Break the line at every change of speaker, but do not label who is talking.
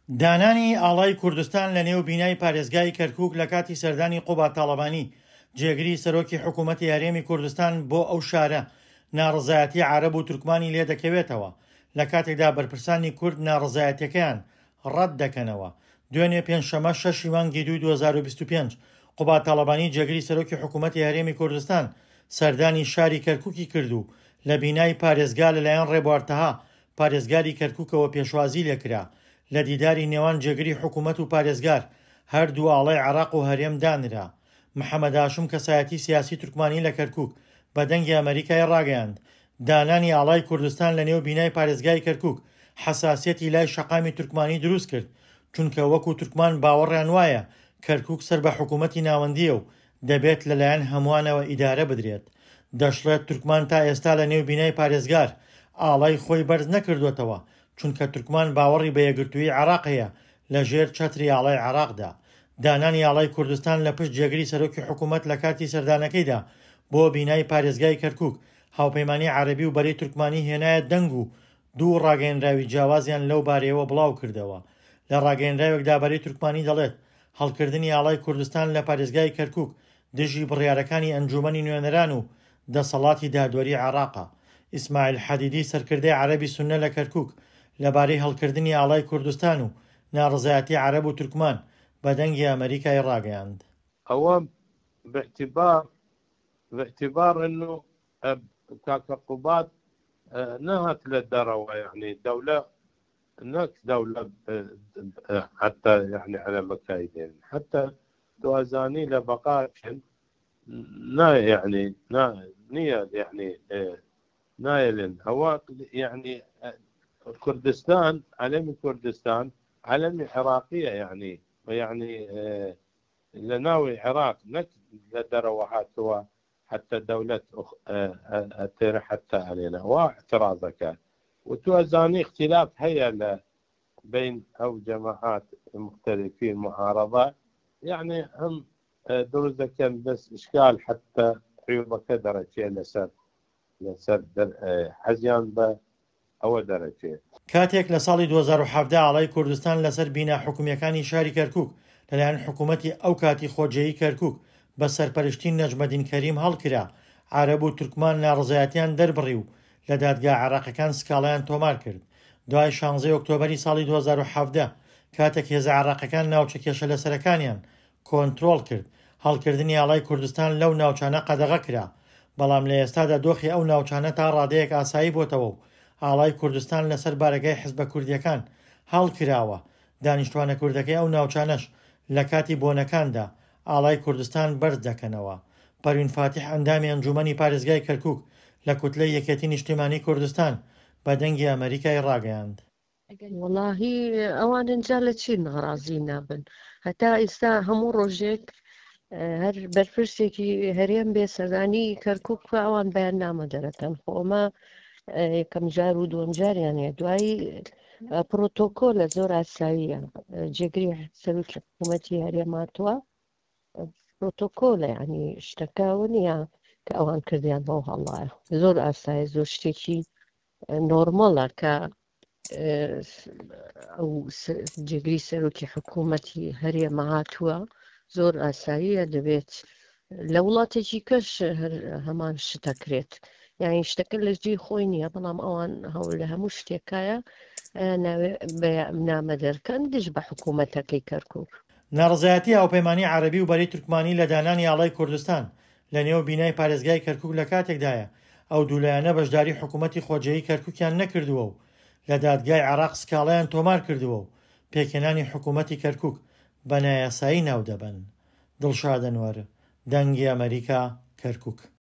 دانانی ئاڵای کوردستان لە نێو بینای پارێزگای کەرکووک لە کاتی سەردانی قوباد تاڵەبانی، جێگری سەرۆکی حکوومەتی هەرێمی کوردستان بۆ ئەو شارە، ناڕەزایەتی عەرەب و تورکمانی لێدەکەوێتەوە، لە کاتێکدا بەرپرسانی کورد ناڕەزایەتیەکەیان ڕەت دەکەنەوە. دوێنێ پێنجشەممە شەشی مانگی دووی 2025، قوباد تاڵەبانی جێگری سەرۆکی حکوومەتی هەرێمی کوردستان سەردانی شاری کەرکووکی کرد و لە بینای پارێزگا لەلایەن ڕێبوار تەها پارێزگاری کەرکووکەوە پێشوازی لێکرا. لە دیداری نێوان جێگری حکوومەت و پارێزگار، هەردوو ئاڵای عێراق و هەرێم دانرا. محەمەد هاشم کەسایەتی سیاسی تورکمانی لە کەرکووک بە دەنگی ئەمەریکای ڕاگەیاند، دانانی ئاڵای کوردستان لە نێو بینای پارێزگای کەرکووک حەساسیەتی لای شەقامی تورکمانی دروست کرد، چونکە وەکو تورکمان باوەڕیان وایە کەرکووک سەر بە حکوومەتی ناوەندییە و دەبێت لەلایەن هەمووانەوە ئیدارە بدرێت. دەشڵێت تورکمان تا ئێستا لە نێو بینای پارێزگار ئاڵای خۆی بەرز نەکردووەتەوە، چونکە تورکمان باوەڕی بە یەکگرتوویی عێراق هەیە لە ژێر چەتری ئاڵای عێراقدا. دانانی ئاڵای کوردستان لە پشت جێگری سەرۆکی حکوومەت لە کاتی سەردانەکەیدا بۆ بینای پارێزگای کەرکووک، هاوپەیمانی عەرەبی و بەرەی تورکمانی هێنایە دەنگ و دوو ڕاگەیەنراوی جیاوازیان لەو بارەیەوە بڵاوکردەوە. لە ڕاگەیەنراوێکدا بەرەی تورکمانی دەڵێت، هەڵکردنی ئاڵای کوردستان لە پارێزگای کەرکووک دژی بڕیارەکانی ئەنجوومەنی نوێنەران و دەسەڵاتی دادوەری عێراقە. ئیسماعیل حەدیدی سەرکردەی عەرەبی سوننە لە کەرکووک لەبارەی هەڵکردنی ئاڵای کوردستان و ناڕەزایەتی عەرەب و تورکمان بە دەنگی ئەمەریکای ڕاگەیاند.
ئەوە باعتبار باعتبار انه کاکە قوباد نەهات لە دەرەوە یعنی دەولە نەک دەولە حتی یعنی على مكايدين حتى تو ئەزانی لە بەقا چن نا یعنی نا نییە یعنی نایەلن ئەوە یعنی کوردستان عەلەمی کوردستان عەلەمی عێراقیە یعنی یعنی لە ناوی عێراق نەک لە دەرەوە هاتووە حتى دولة ئەتێرە حتى علينا وا اعتراضەکە و تو ئەزانی اختلاف هەیە لە بين ئەو جەماعات مختلفين معارضة يعني هم دروست دەکەن بەس اشکال حتى عیوبەکە دەرەچێ لەسەر لەسەر حەزیان بە ئەوە دەرەچێ.
کاتێک لە ساڵی 2017 ئاڵای کوردستان لەسەر بینا حکومییەکانی شاری کەرکوک لەلایەن حکومەتی ئەو کاتی خۆجێیی کەرکوک بە سەرپەرشتی نەجمەدین کەریم هەڵکرا، عەرەب و تورکمان ناڕەزایەتیان دەربڕی و لە دادگا عێراقیەکان سکاڵایان تۆمار کرد. دوای شانزەی ئۆکتۆبەری ساڵی 2017 کاتێک هێزە عێراقیەکان ناوچە کێشەلەسەرەکانیان کۆنترۆڵ کرد، هەڵکردنی ئاڵای کوردستان لەو ناوچانە قەدەغە کرا، بەڵام لە ئێستادا دۆخی ئەو ناوچانە تا ڕادەیەک ئاسایی بۆتەوە و ئاڵای کوردستان لەسەر بارەگای حزبە کوردییەکان هەڵکراوە، دانیشتوانە کوردەکەی ئەو ناوچانەش لە کاتی بۆنەکاندا ئاڵای کوردستان بەرز دەکەنەوە. پەروین فاتیح ئەندامی ئەنجوومەنی پارێزگای کەرکوک لە کوتلەی یەکێتی نیشتیمانی کوردستان بە دەنگی ئەمەریکای ڕاگەیاند.
وەڵاهی ئەوان ئینجا لە چی ناڕازی نابن هەتا ئیستا هەموو ڕۆژێک هەر بەرپرسێکی هەرێم بێ سەردانی کەرکک بکە ئەوان بەیان نامە دەرەکەن خۆ ئەمە یەکەم جار و دووەم جاریانە دوایی پرۆتۆکۆ لە زۆر ئاساییە جێگری سەرۆکی حکوومەتی هەرێماتوە پرۆتۆکۆلە ینی شتەکەەوە نییە کە ئەوان کردیان بەو هەڵایە زۆر ئاسایە زۆر شتێکی نۆرمەڵە کە ئەو جێگری سەرۆکی حکوومەتی هەرێمە هاتووە زۆر ئاساییە دەبێت لە وڵاتێکی کەش هەمان شتەکرێت یعنی شتەکە لە جێی خۆی نییە بەڵام ئەوان هەوڵ لە هەموو شتێکایە نامە دەرکەن دژ بە حکوومەتەکەی کەرکک.
ناڕەزایەتی هاوپەیمانی عەرەبی و بەرەی تورکمانی لە دانانی ئاڵای کوردستان لە نێو بینای پارێزگای کەرکوک لە کاتێکدایە ئەو دوو لایەنە بەشداری حکوومەتی خۆجێیی کەرکوکیان نەکردووە و لە دادگای عێراق سکاڵایان تۆمار کردووە و پێکهێنانی حکوومەتی کەرکوک بە نایاسایی ناودەبەن. دڵشاد ئەنوەر، دەنگی ئەمەریکا، کەرکوک.